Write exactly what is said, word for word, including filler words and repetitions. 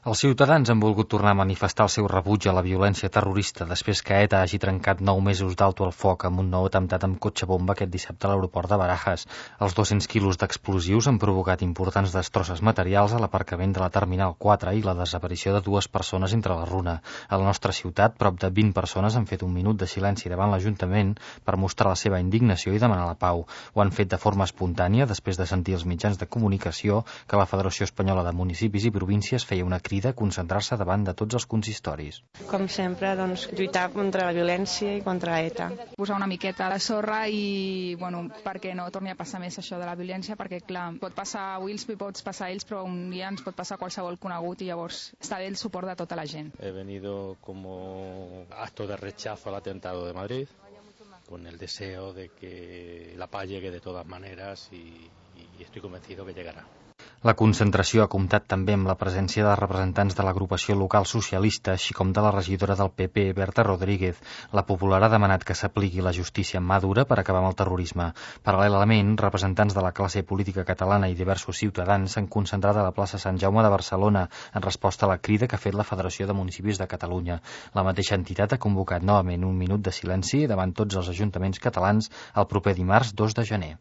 Els ciutadans han volgut tornar a manifestar el seu rebuig a la violència terrorista després que ETA hagi trencat nou mesos d'alto al foc amb un nou atemptat amb cotxe bomba aquest dissabte a l'aeroport de Barajas. Els dos-cents quilos d'explosius han provocat importants destrosses materials a l'aparcament de la Terminal quatre i la desaparició de dues persones entre la runa. A la nostra ciutat, prop de vint persones han fet un minut de silenci davant l'Ajuntament per mostrar la seva indignació i demanar la pau. Ho han fet de forma espontània després de sentir als mitjans de comunicació que la Federació Espanyola de Municipis i Províncies feia una crida a concentrar-se davant de tots els consistoris. Com sempre, doncs, lluitar contra la violència i contra ETA. Posar una miqueta a la sorra i, bueno, perquè no torni a passar més això de la violència, perquè, clar, pot passar a Wills, pots passar a ells, però un dia ens pot passar a qualsevol conegut i llavors està bé el suport de tota la gent. He venido como acto de rechazo al atentado de Madrid, con el deseo de que la paz llegue de todas maneras y, y estoy convencido que llegará. La concentració ha comptat també amb la presència de representants de l'agrupació local socialista, així com de la regidora del P P, Berta Rodríguez. La Popular ha demanat que s'apliqui la justícia en mà dura per acabar amb el terrorisme. Paral·lelament, representants de la classe política catalana i diversos ciutadans s'han concentrat a la plaça Sant Jaume de Barcelona en resposta a la crida que ha fet la Federació de Municipis de Catalunya. La mateixa entitat ha convocat novament un minut de silenci davant tots els ajuntaments catalans el proper dimarts dos de gener.